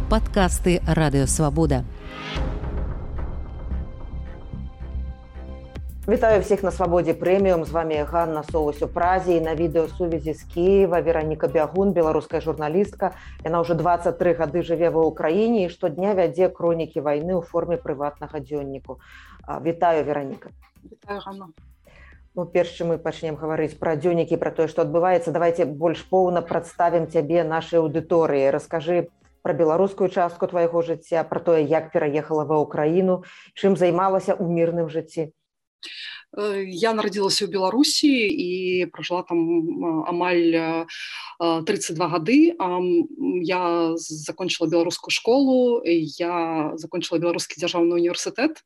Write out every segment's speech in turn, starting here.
Падкасты Радыёвабода. Вітаю всіх на Свабодзе прэміум. З вами Ганна Соус у Празе і на відэасувязі з Кіева Вераніка Бягун, беларуская журналістка. Яна ўжо 23 гады жыве ва ўкраіне і штодня вядзе хронікі вайны ў форме прыватнага дзённіку. Вітаю, Вераніка. Вітаю, Ганна. Перш чым мы пачнем гаварыць пра дзённікі, пра тое, што адбываецца, давайте больш поўна прадставім цябе нашай аўдыторыі. Раскажы пра беларускую частку твайго жыцця, пра тое, як пераехала ва ўкраіну, чым займалася ў мірным жыцці. Я нарадзілася ў Беларусі і пражыла там амаль 32 гады. Я закончыла беларускую школу, я закончыла беларускі дзяржаўны універсітэт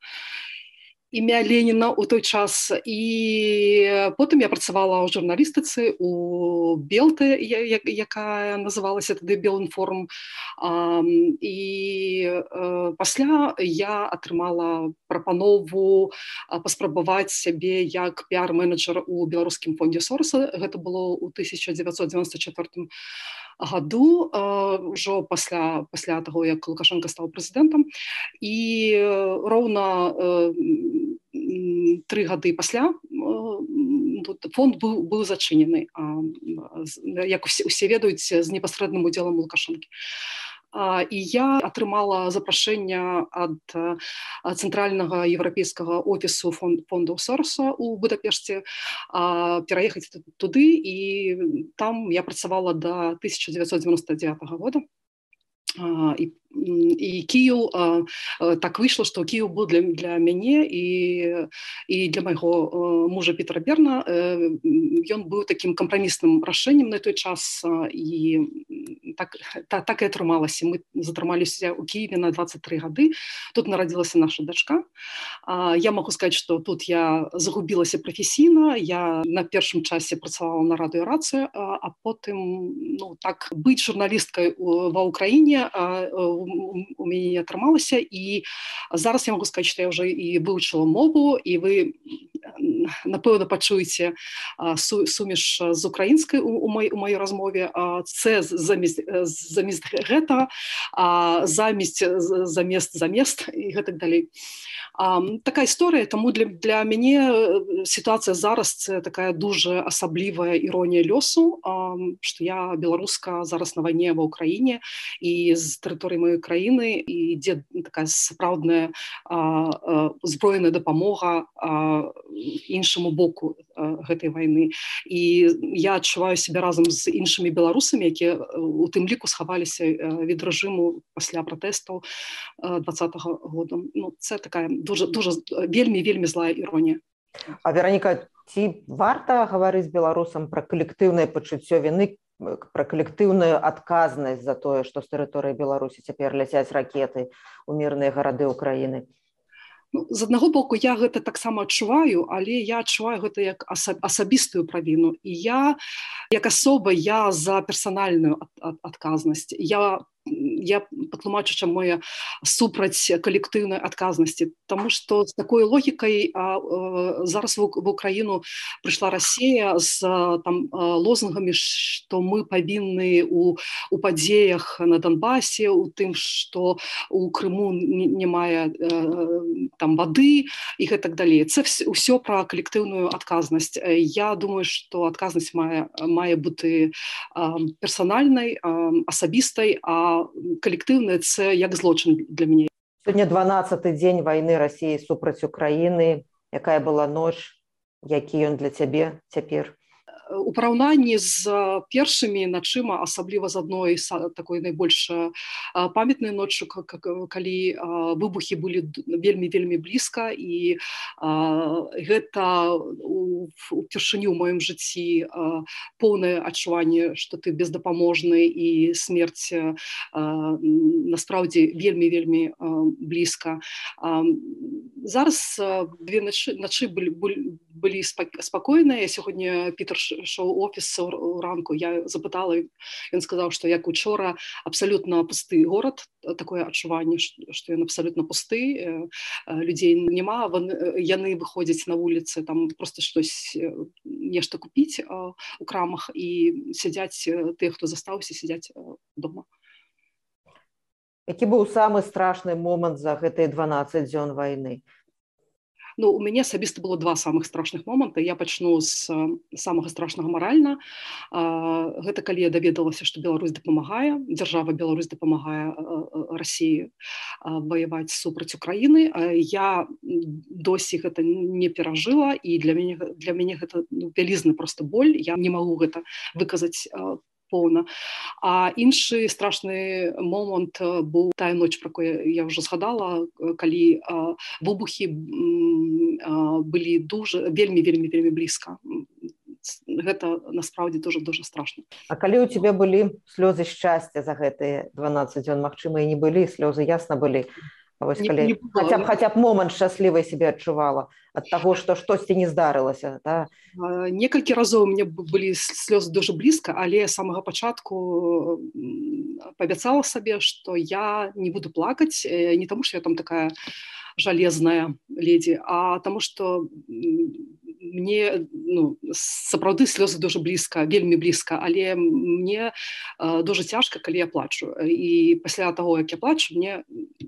імя Леніна ў той час, і потым я працавала ў журналістыцы у Белте, якая называлася тады Белінформ, і пасля я атрымала прапанову паспрабаваць сябе як піар-менеджер у беларускім фондзе Сороса. Гэта было ў 1994 году, ўжо пасля таго, як Лукашенко стаў прэзідэнтам, і роўна 3 гады пасля фонд быў зачынены, як усе ведаюць, з непасрэдным удзелам Лукашэнкі. І я атрымала запрашэнне ад цэнтральнага еўрапейскага офісу фондаў Сороса ў Будапешце пераехаць туды, і там я працавала до 1999 года. І Кіеў, так выйшла, што Кіеў быў для мяне і для майго мужа Пітера Берна. Ён быў такім кампрамісным рашэннем на той час, і так і атрымалася. Мы затрымаліся ў Кіеве на 23 гады. Тут нарадзілася наша дачка. Я магу сказаць, што тут я загубілася прафесійна. Я на першым часе працавала на радыё Рацыя, а потым так быць журналісткай ва ўкраіне у мяне не атрымалася, і зараз я могу сказаць, што я ўжо і вывучыла мову, і вы, напэўна, пачуеце сумеш з украінскай у маёй размове, це замест гэта, замест і гэтак далей. Такая історыя, таму для мяне сітуацыя зараз це такая дуже асаблівая іронія лёсу, што я беларуска зараз на вайне ва ўкраіне, і з тэрыторыі маёй краіны ідзе такая сапраўдная зброеная дапамога іншаму боку гэтай вайны. І я адчуваю сябе разам з іншымі беларусамі, якія у тым ліку схаваліся від рэжыму пасля пратэстаў 2020 года. Це такая вельмі злая іронія. А, Вераніка, ці варта гаварыць беларусам пра калектыўнае пачуццё віны, пра калектыўную адказнасць за тое, што з тэрыторыі Беларусі цяпер ляцяць ракеты ў мірныя гарады ўкраіны? З аднаго боку, я гэта таксама адчуваю, але я адчуваю гэта як асабістую правіну. І я, як асоба, я за персанальную адказнасць. Я патлумачу, чаму я супраць калектыўнай адказнасці. Таму што з такой логікай зараз в Украіну прыйшла Расія з лозунгамі, што мы павінны у падзеях на Донбасе, у тым, што у Крыму няма вады і гэтак далей. Це ўсё пра калектыўную адказнасць. Я думаю, што адказнасць мае бути персанальнай, асабістай, а калектыўнае це як злочин для мяне. Сёння 12-й дзень вайны Расіі супраць Украіны. Якая была ноч? Які ён для цябе цяпер? У параўнанні з першымі начыма, асабліва з адной такой найбольш памятнай ноччу, калі выбухі былі вельмі блізка, і гэта упершыню ў маім жыцці поўнае адчуванне, што ты бездапаможны, і смерць насправді вельмі блізка. Зараз две ночы былі спакойныя. Сёння Пітер ішоў у офіс ранку, я запытала, ён сказаў, што як учора абсалютна пусты горад, такое адчуванне, што ён абсалютна пусты, людзей няма, яны выходзяць на вуліцы, там проста нешта купіць у крамах, і сядзяць тыя, хто застаўся, сядзяць дома. Які быў самы страшны момант за гэтыя 12 дзён вайны? Ну, у мяне асабіста было два самых страшных моманта. Я пачну з самага страшнага маральна. Гэта калі я даведалася, што Беларусь дапамагае, дзяржава Беларусь дапамагае Расіі ваяваць супраць Украіны. Я досі гэта не перажыла, і для мяне гэта вялізны проста боль. Я не магу гэта выказаць поўна. А іншы страшны момант быў тая ноч, про якую я ўжо згадала, калі выбухі былі вельмі блізка. Гэта насправді дуже страшна. А калі ў цябе былі слёзы шчасця за гэтыя 12 дзён, магчыма, і не былі, слёзы ясна былі. Вось калі хаця б момант шчаслівай сябе адчувала ад таго, што штосьці не здарылася, да? Некалькі разоў у мяне былі слёзы дуже блізка, але з самага пачатку паабяцала сабе, што я не буду плакаць, не таму, што я там такая жалезная леді, а таму, што мне сапраўды слёзы дуже блізка, вельмі блізка, але мне дуже цяжка, калі я плачу. І пасля таго, як я плачу, мне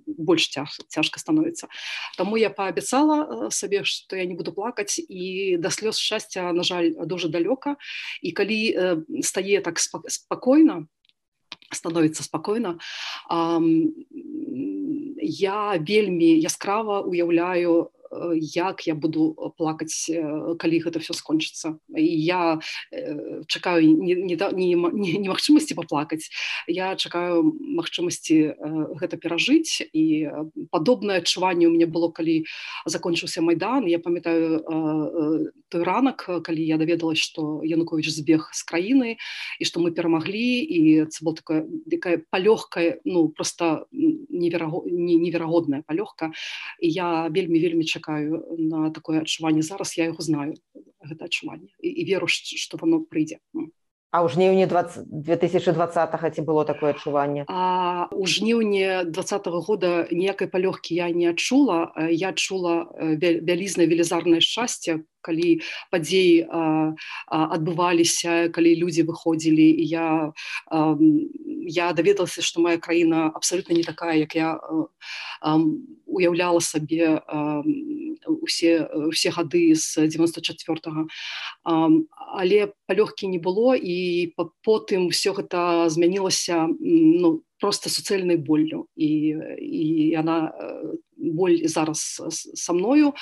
больш цяжка становіцца. Таму я паабяцала сабе, што я не буду плакаць, і да слёз шчасця, на жаль, дуже далёка. І калі стае так спакойна, становіцца спакойна, я вельмі яскрава уяўляю, як я буду плакаць, калі гэта все скончыцца. І я чакаю не магчымасці паплакаць, я чакаю магчымасці гэта перажыць. І падобнае адчуванне у мяне было, калі закончыўся Майдан. Я памятаю той ранак, калі я даведалась, што Януковіч збег з краіны, і што мы перамаглі, і це была такая палёгка, проста неверагодная палёгка. І я вельмі чакаю на такое адчуванне. Зараз я яго знаю, гэта адчуванне, і веру, што воно прыйдзе. А ў жніўні 2020-го ці было такое адчуванне? У жніўні 2020 года ніякай палёгкі я не адчула. Я адчула вялізнае велізарнае шчасце, калі падзеі адбываліся, калі людзі выходзілі, і я даведалася, што моя краіна абсалютна не такая, як я уяўляла сабе усе гады з 94-го. Але палёгкі не было, і потым все гэта змянілася проста суцэльнай боллю. І яна боль зараз са мною.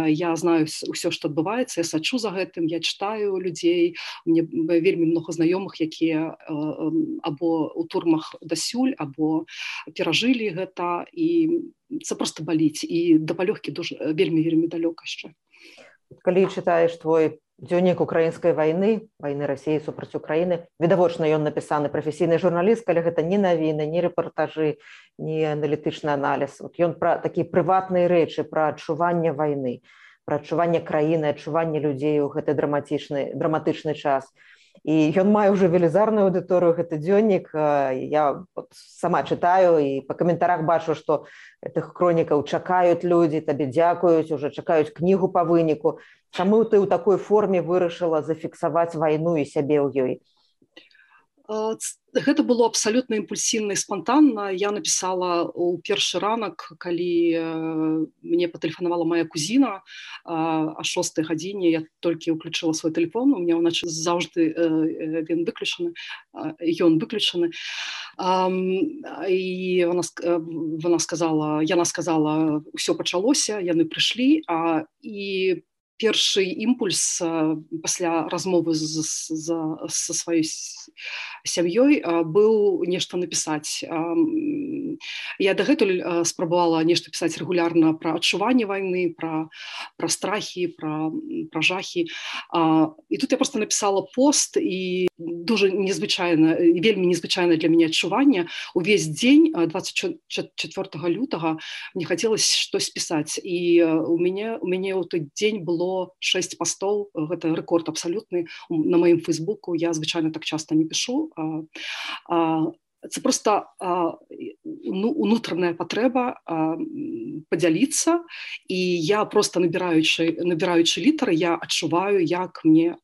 Я знаю ўсё, што адбываецца, я сачу за гэтым, я чытаю людзей. У мяне вельмі много знаёмых, якія або ў турмах дасюль, або перажылі гэта, і це просто баліць. І да палёгкі вельмі далёка яшчэ. Калі чытаеш твой дзённік украінскай вайны Расіі супраць Украіны, відавочна ён напісаны прафесійнай журналісткай, але гэта не навіны, не рэпартажы, не аналітычны аналіз. Ён пра такія прыватныя рэчы, пра адчуванне вайны, пра адчуванне краіны, адчуванне людзей у гэты драматычны час. І ён мае ўжо велізарную аўдыторыю, гэты дзённік. Я сама чытаю і па каментарах бачу, што гэтых хронікаў чакаюць людзі, табе дзякуюць, уже чакаюць кнігу па выніку. Чаму ты ў такой форме вырашыла зафіксаваць вайну і сябе ў ёй? Гэта было абсалютна імпульсіўна і спантанна. Я напісала ў першы ранак, калі мне патэлефанавала моя кузіна о 6 гадзіне. Я толькі ўключыла свой тэлефон, у меня ўначы заўжды ён выключаны. І яна сказала, ўсё пачалося, яны прыйшлі, і першы імпульс пасля размовы са сваёй сям'ёй быў нешта напісаць. Я дагэтуль спрабавала нешта пісаць рэгулярна пра адчуванне вайны, пра страхі, пра жахі. І тут я проста напісала пост, і дуже вельмі незвычайна для мяне адчуванне. Увесь дзень 24 лютага мне хацелася штось пісаць. І у мяне ў той дзень было 6 пастоў, гэта рэкорд абсалютны на маім фейсбуку. Я звычайна так часта не пішу. Це просто унутраная патрэба падзяліцца, і я просто набіраючы літары, я адчуваю, як мне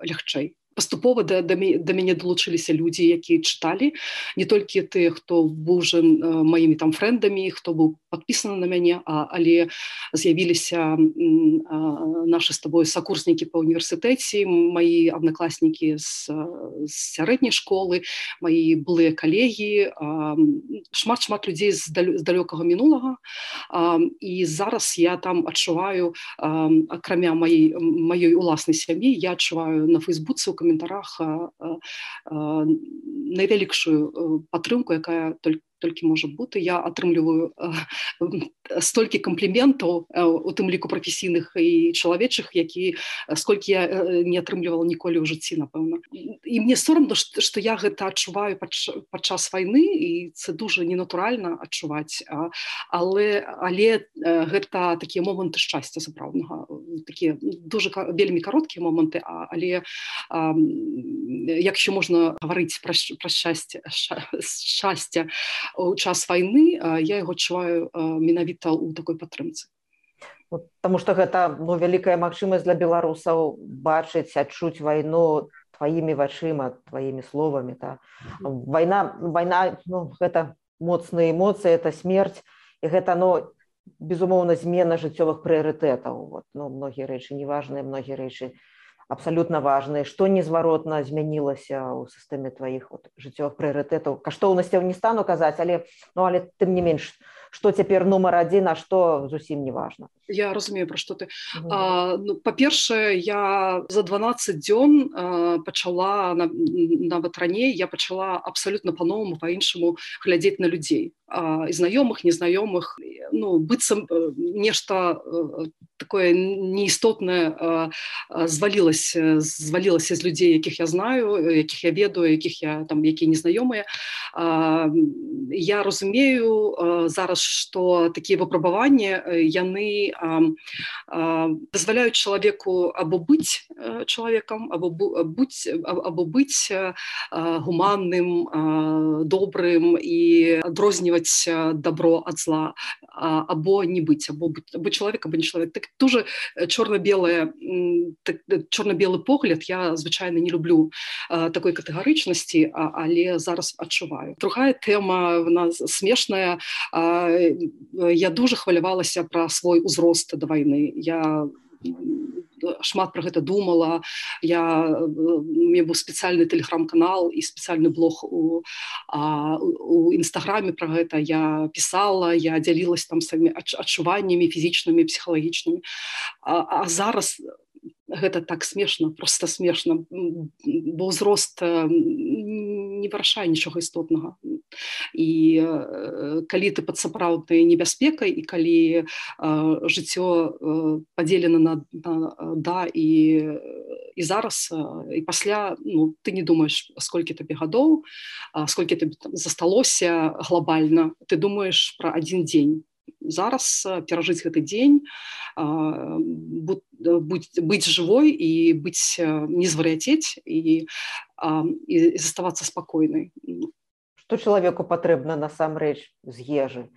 лягчэй. паступова да мяне далучыліся людзі, якія чыталі, не толькі тыя, хто быў уже маімі там фрэндамі, хто быў падпісаны на мяне, але з'явіліся нашы з тобой сакурснікі па універсітэце, маі аднакласнікі з сярэдняй школы, маі былыя калегі, шмат людзей з далёкага мінулага. І зараз я там адчуваю, акрамя маёй уласнай сям'і, я адчуваю на Фейсбуцы ў каментарах найвялікшую падтрымку, якая толькі можа бути. Я атрымліваю столькі кампліментаў, у тым ліку прафесійных і чалавечых, сколькі я не атрымлівала ніколі ў жыцці, напэўна. І мне сорамна, што я гэта адчуваю падчас вайны, і це дуже ненатуральна адчуваць, але гэта такія моманты шчасця сапраўднага, такія дуже вельмі кароткія моманты, але якщо можна гаварыць пра шчасце у час вайны, я яго адчуваю менавіта ў такой падтрымцы. Потому што гэта вялікая магчымасць для беларусаў бачыць, адчуць вайну тваімі вачыма, тваімі словамі. Вайна, гэта моцныя эмоцыі, это смерць, і гэта, безумоўна, змена жыццёвых прыярытэтаў. Многія рэчы неважныя, многія рэчы абсолютно важные, что незваротна змянілася ў сістэме тваіх жыццёвых прыярытэтаў. Каштоўнасцяў не стану казаць, але тым не менш, што цяпер нумар адзін, а што зусім не важна. Я разумею, пра што ты. Па-першае, я за 12 дзён пачала, нават раней, я пачала абсолютно па-новаму, па-іншаму глядзець на людзей. І знаёмых, незнаёмых, быццам нешта такое неістотнае звалілася з людзей, якіх я знаю, якіх я ведаю, якія незнаёмыя. Я разумею зараз, што такія выпрабаванні, яны дазваляюць чалавеку або быць чалавекам, або быць гуманным, добрым і адрозніваць добро ад зла, або не быць, або чалавек, або не чалавек. Так дуже чорна-белы погляд, я, звычайна, не люблю такой катэгарычнасці, але зараз адчуваю. Другая тэма, вона смешная. Я дуже хвалявалася пра свой узрост да вайны. Я шмат пра гэта думала. У мяне быў спецыяльны тэлеграм-канал і спецыяльны блог у інстаграме пра гэта. Я пісала, я дзялілася там сваімі адчуваннямі фізічнымі, псіхалагічнымі. А зараз гэта так смешна, просто смешна, бо ўзрост не вырашае нічога істотнага. І калі ты пад сапраўднай небяспекай, і калі жыццё падзелена на да і зараз, і пасля, ты не думаеш, сколькі табе гадоў, сколькі табе засталося глобальна, ты думаеш пра адзін дзень. Зараз перажыць гэты дзень, быць жывой і не звар'яцець і заставацца спакойнай. Што чалавеку патрэбна насамрэч з ежы?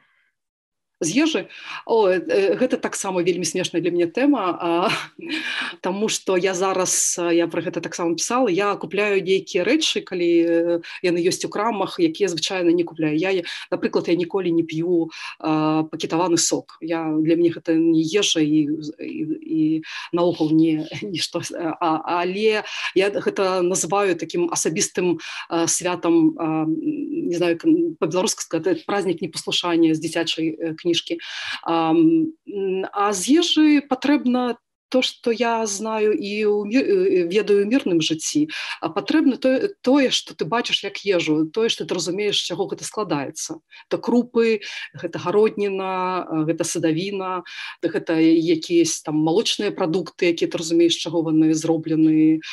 З ежы? Гэта таксама вельмі смешная для мяне тэма, таму што я зараз, я пра гэта таксама пісала, я купляю нейкія рэчы, калі яны ёсць у крамах, якія звычайна не купляю. Напрыклад, я ніколі не п'ю пакетаваны сок. Для мяне гэта не ежа і наогул не нішто. Але я гэта называю такім асабістым святам, не знаю, па-беларуску сказаць, празднік непаслушання з дзіцячай кніжкі. А з ежы патрэбна то, што я знаю і ведаю ў мірным жыцці. Патрэбна тое, што ты бачыш як ежу, тое, што ты разумееш, з чаго гэта складаецца. Гэта крупы, гэта гародніна, гэта садавіна, гэта якісь там малочныя прадукты, якія ты разумееш, з чаго яны зроблены.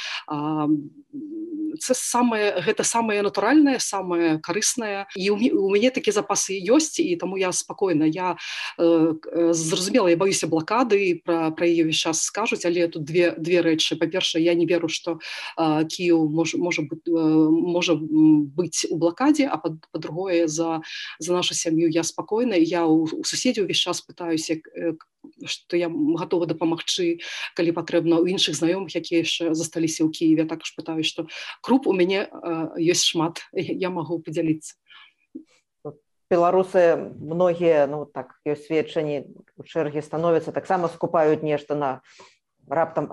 Гэта самае натуральнае, самае карыснае. І у мяне такія запасы ёсць, і таму я спакойна. Я зразумела, я баюся блакады, пра яе ўвесь час скажуць, але тут две рэчы. Па-першае, я не веру, што Кіеў можа быць у блакадзе, а па-другое, за нашу сям'ю я спакойна. Я у суседзяў увесь час пытаюся, што я гатова дапамагчы, калі патрэбна, у іншых знаёмых, якія яшчэ засталіся ў Кіеве. Також пытаюсь, што круп у мяне ёсць шмат, я магу падзяліцца. Беларусы многія, ну так, ёсць сведчанні, у чэргі становяцца, таксама скупаюць нешта на раптам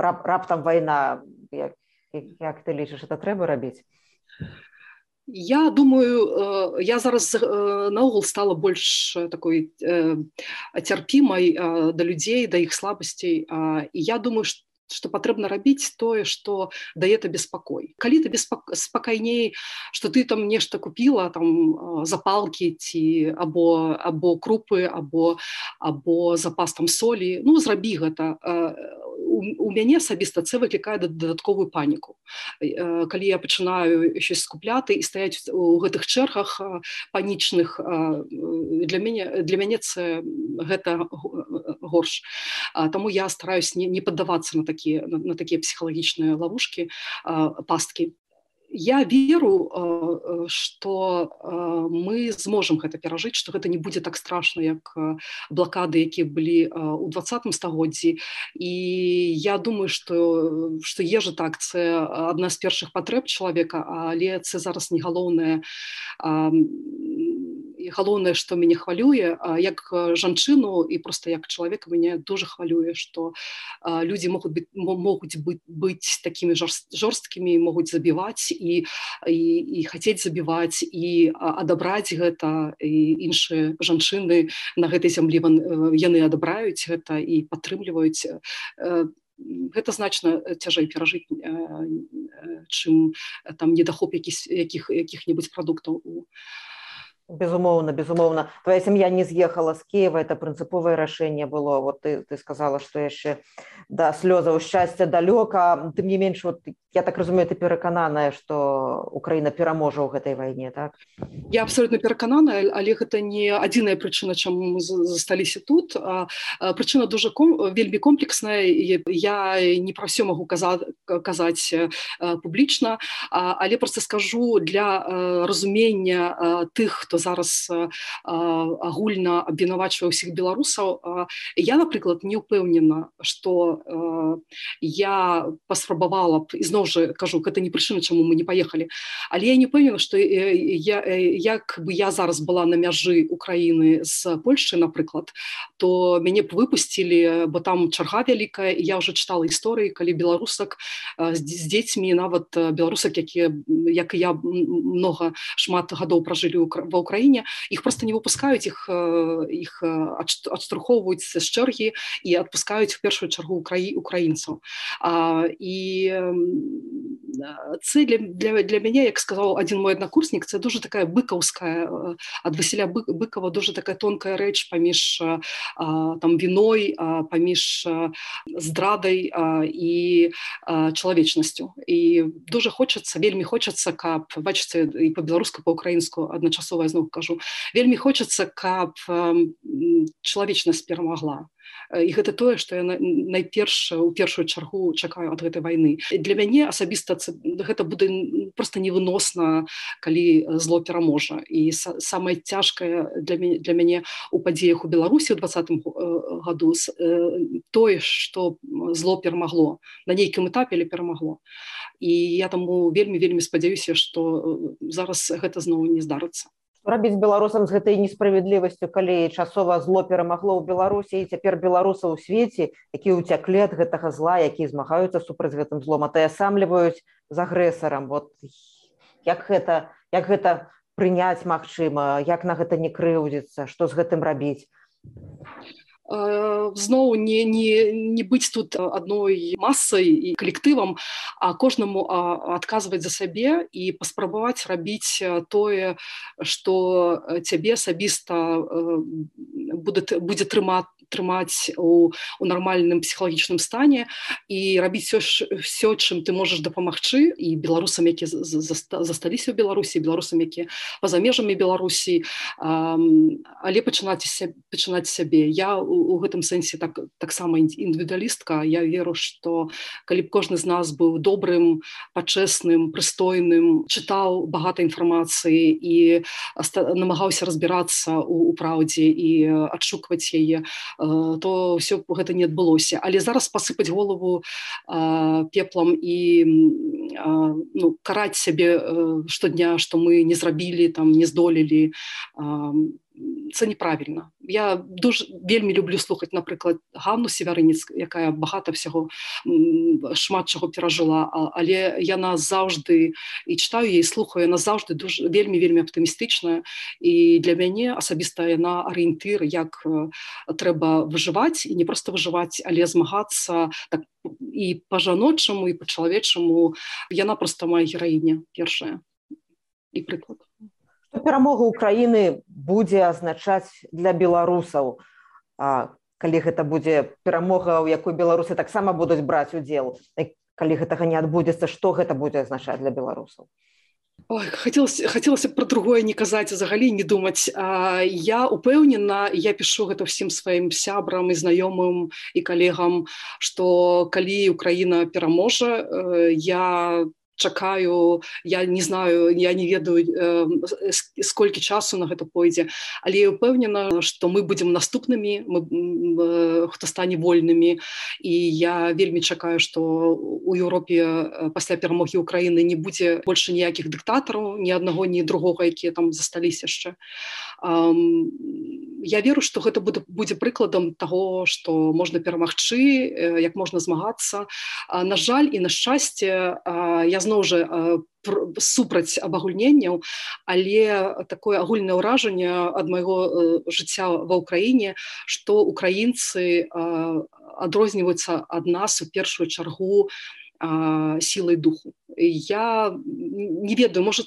вайна. Як ты лічыш, это трэба рабіць? Я думаю, я зараз наогул стала больш такой цярпімай да людзей, да іх слабасцей, і я думаю, што патрэбна рабіць тое, што дае табе спакой. Калі табе спакайней, што ты там нешта купіла, там запалкі ці або крупы, або запас там солі, ну зрабі гэта. У мяне асабіста це выклікае дадатковую паніку. Калі я пачынаю щось скупляти і стаяць у гэтых чэргах панічных, для мяне це гэта горш. Таму я стараюсь не паддавацца на такія псіхалагічныя ловушкі, пасткі. Я веру, што мы зможам гэта перажыць, што гэта не будзе так страшна, як блакады, якія былі ў 20 стагоддзі. І я думаю, што ежа так, це адна з першых патрэб чалавека, але це зараз не галоўнае. І галоўнае, што мяне хвалюе, як жанчыну і проста як чалавека мяне дуже хвалюе, што людзі могуць быць такімі жорсткімі, могуць забіваць і хацець забіваць і адабраць гэта, і іншыя жанчыны на гэтай зямлі яны адабраюць гэта і падтрымліваюць. Гэта значна цяжэй перажыць, чым там недахоп якіх-небудзь прадуктаў. Безумоўна. Твоя сям'я не з'ехала з Киева, это прынцыповае рашэнне было. Вот ты сказала, што яшчэ да слёзаў шчасця далёка. Тым не менш, вот, я так разумею, ты перакананая, што Украіна пераможа ў гэтай вайне, так? Я абсолютно перакананая, але гэта не адзіная прычына, чаму мы засталіся тут. Прычына дуже вельмі комплексная. Я не пра ўсё магу казаць публічна, але проста скажу для разумення тых, хто зараз агульна абвінавачвае ўсіх беларусаў. Я, напрыклад, не ўпэўнена, што я паспрабавала б, і зноў жа кажу, гэта не прычына, чаму мы не паехалі, але я не ўпэўнена, што як бы я зараз была на мяжы Украіны з Польшчай, напрыклад, то мяне б выпусцілі, бо там чарга вялікая, і я ўжо чытала гісторыі, калі беларусак з дзецьмі, нават беларусак, якія, як і я, шмат гадоў пражылі ва Украіне, іх проста не выпускаюць, іх адштурхоўваюць з чэргі і адпускаюць у першую чаргу украінцаў. І це для мяне, як сказаў адзін мой аднакурснік, це дуже така быкаўская, ад Васіля Быкова, дуже така тонкая рэч паміж там віной, паміж здрадай і чалавечнасцю. І дуже хочацца, вельмі хочацца, каб, бачыце, і па-беларуску, па-украінску адначасова, я зноў кажу, вельмі хочацца, каб чалавечнасць перамагла. І гэта тое, што я найперш у першую чаргу чакаю ад гэтай вайны. Для мяне асабіста гэта будзе проста невыносна, калі зло пераможа. І самае цяжкае для мяне у падзеях у Беларусі ў 2020 году тое, што зло перамагло. На нейкім этапе, але перамагло. І я таму вельмі спадзяюся, што зараз гэта зноў не здарыцца. Што рабіць беларусам з гэтай несправядлівасцю, калі часова зло перамагло ў Беларусі, і цяпер беларусы ў свеце, якія ўцяклі ад гэтага зла, якія змагаюцца супраць гэтым злом, атаясамліваюць з агрэсарам. Вот як гэта прыняць магчыма, як на гэта не крыўдзіцца, што з гэтым рабіць? Зноў не быць тут адной масай і калектывам, а кожнаму адказваць за сябе і паспрабаваць рабіць тое, што цябе асабіста будзе трымаць у нармальным псіхалагічным стане, і рабіць все, чым ты можаш дапамагчы, і беларусам, якія засталіся ў Беларусі, беларусам, якія па-за межамі Беларусі, але пачынаць сябе. Я у гэтым сэнсе таксама індывідуалістка. Я веру, што калі б кожны з нас быў добрым, пачэсным, прыстойным, чытаў багата інфармацыі і намагаўся разбірацца ў праўдзе і адшукваць яе, то ўсё гэта не адбылося. Але зараз пасыпаць голову пеплам і караць сябе штодня, што мы не зрабілі, там, не здолелі, це неправільна. Я вельмі люблю слухаць, напрыклад, Ганну Севярынец, якая багата всяго, шмат чаго перажыла, але яна заўжды, і читаю яе, слухаю, яна заўжды вельмі аптымістычная, і для мяне асабіста яна арыентыр, як трэба выжываць, і не проста выжываць, але змагацца так і па-жаночаму, і па-чалавечаму. Яна проста моя гераіня першая і прыклад. Што перамога Украіны будзе азначаць для беларусаў, калі гэта будзе перамога, у якой беларусы таксама будуць браць удзел, калі гэтага не адбудзецца, што гэта будзе азначаць для беларусаў? Ой, хацелася пра другое не казаць, взагалі не думаць. Я упэўнена, я пішу гэта ўсім сваім сябрам і знаёмым і калегам, што калі Украіна пераможа, я чакаю, я не знаю, я не ведаю, сколькі часу на гэта пойдзе, але я ўпэўнена, што мы будзем наступнымі, хто стане вольнымі, і я вельмі чакаю, што у Еўропе пасля перамогі Украіны не будзе больш ніякіх дыктатараў, ні аднаго, ні другога, якія там засталіся яшчэ. Я веру, што гэта будзе прыкладам таго, што можна перамагчы, як можна змагацца. На жаль і на шчасце, я зноў жа супраць абагульненняў, але такое агульнае ўражанне ад майго жыцця ва ўкраіне, што украінцы адрозніваюцца ад нас у першую чаргу сілай духу. Я не ведаю, можа,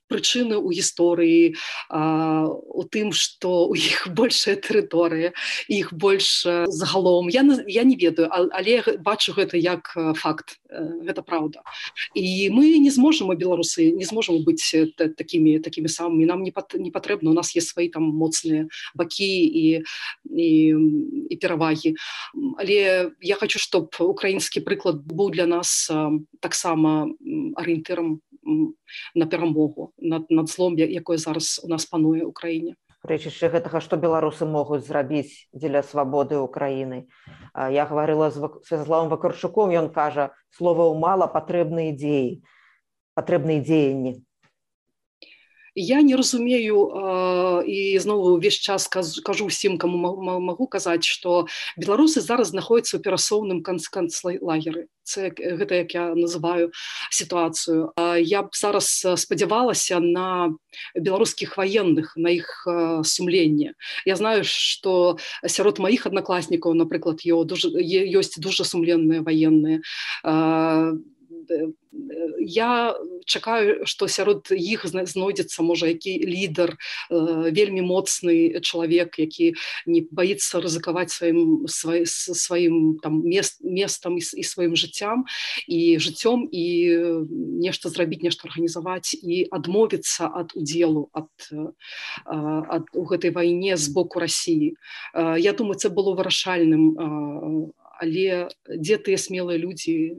прычыны ў гісторыі, у тым, што у іх большая тэрыторыя, іх больш загалом. Я не ведаю, але бачу гэта як факт. Гэта праўда. І мы не зможам, беларусы, не зможам быць такімі самымі. Нам не патрэбна, у нас є свае там моцныя бакі і перавагі. Але я хочу, щоб украінскі прыклад быў для нас таксама арыентырам на перамогу над злом, якое зараз у нас пануе ў краіне. Рэчышча гэтага, што беларусы могуць зрабіць дзеля свабоды Украіны. Я гаварыла з Святаславом Вакарчуком, ён кажа, словаў мала, патрэбныя дзеі, патрэбныя дзеянні. Я не разумею, і знову увесь час кажу ўсім, каму магу казаць, што беларусы зараз знаходзяцца ў перасоўным канцлагеры. Гэта, як я называю сітуацыю. Я б зараз спадзявалася на беларускіх ваенных, на іх сумленне. Я знаю, што сярод маіх аднакласнікаў, напрыклад, ёсць дуже сумленныя ваенныя. Я чакаю, што сярод іх знойдзецца, можа, які лідар, вельмі моцны чалавек, які не баіцца рызыкаваць сваім там местам і сваім жыццём, і нешта зрабіць, нешта арганізаваць і адмовіцца ад удзелу у гэтай вайне з боку Расіі. Я думаю, це было вырашальным, але дзе тыя смелыя людзі,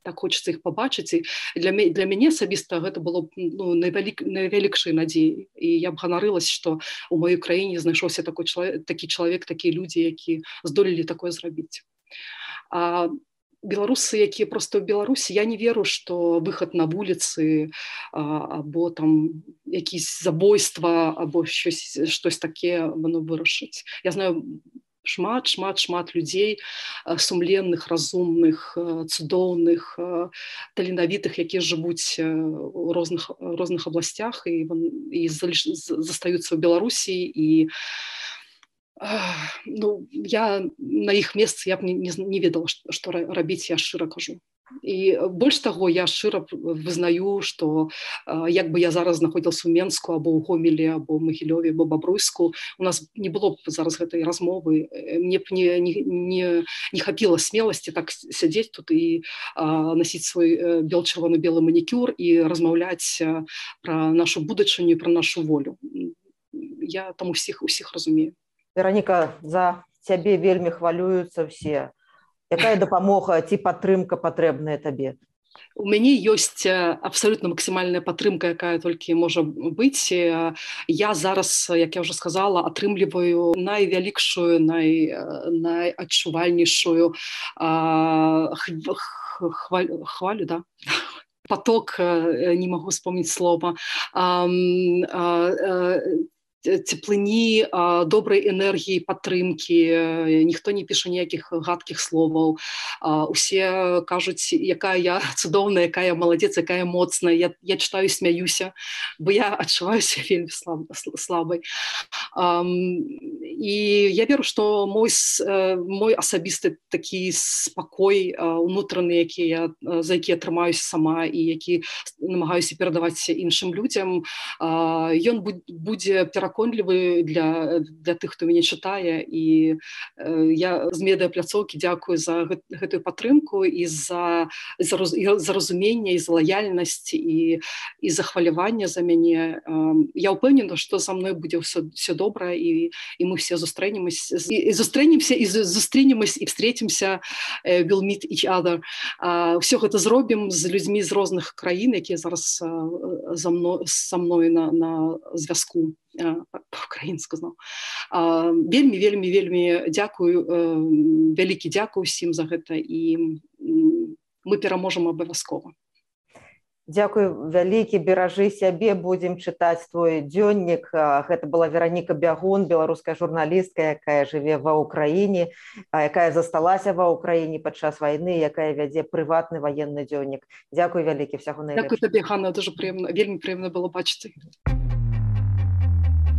так хочется іх пабачыць. І для мяне асабіста гэта было найвялікшай надзеяй. І я б ганарылася, што ў маёй краіне знайшоўся такі чалавек, такія людзі, які здолелі такое зрабіць. А беларусы, якія проста ў Беларусі, я не веру, што выхад на вуліцы або там якісь забойства або штось таке воно вырашыць. Я знаю шмат людзей сумленных, разумных, цудоўных, таленавітых, якія жывуць у розных абласцях і застаюцца ў Беларусі. І я на іх месцы я б не ведала, што рабіць, я шчыра кажу. І больш таго, я шчыра вызнаю, што як бы я зараз знаходзілася ў Менску, або ў Гомелі, або ў Магілёве, або Бабруйску, у нас не было б зараз гэтай размовы, мне б не хапіла смеласці так сядзець тут і насіць свой чырвона-белы манікюр і размаўляць пра нашу будучыню, пра нашу волю. Я там усіх разумею. Вераніка, за цябе вельмі хвалююцца ўсе. Якая дапамога ці падтрымка патрэбная табе? У мяне ёсць абсалютна максімальная падтрымка, якая толькі можа быць. Я зараз, як я ўжо сказала, атрымліваю найвялікшую, найадчувальнейшую хвалю, да? Поток, не магу вспомніць слова, цеплыні, добрай энергіі, падтрымкі. Ніхто не піша ніякіх гадкіх словаў. Усе кажуць, якая я цудоўная, якая я маладзец, якая моцная. Я читаю, смяюся, бо я адчуваюся вельмі слабай. І я веру, што мой асабісты такі спакой унутраны, за які я трымаюся сама і які намагаюся перадаваць іншым людзям, ён будзе пераконлівы для тых, хто мяне чытае. І я з медыапляцоўкі дзякую за гэтую падтрымку і за разуменне, і за лаяльнасць, і за хваляванне за мяне. Я ўпэўнена, што за мной будзе все добра, і мы все зустрэнемся і встретимся, we'll meet each other. Все гэта зробім з людзьмі з розных краін, якія зараз са мной на звязку. По-украінску знаў. Вельмі дзякую, вялікі дзякую усім за гэта, і мы пераможам абавязкова. Дзякую вялікі, беражы сябе, будзем чытаць твой дзённік. Гэта была Вераніка Бягун, беларуская журналістка, якая жыве ва ўкраіне, якая засталася ва ўкраіне падчас вайны, якая вядзе прыватны ваенны дзённік. Дзякуй вялікі, всяго найлепшага. Дзякуй табе, Ганна, дуже прыемна, вельмі прыемна было бачыць.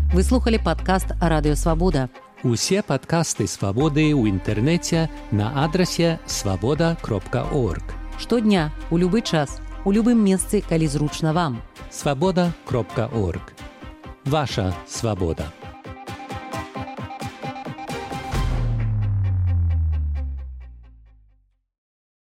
Вы слухали падкаст Радыё Свабода. Усе падкасты Свабоды ў інтэрнэце на адрасе swaboda.org. Штодня, у любы час, у любым месцы, калі зручна вам. swaboda.org. Ваша свабода.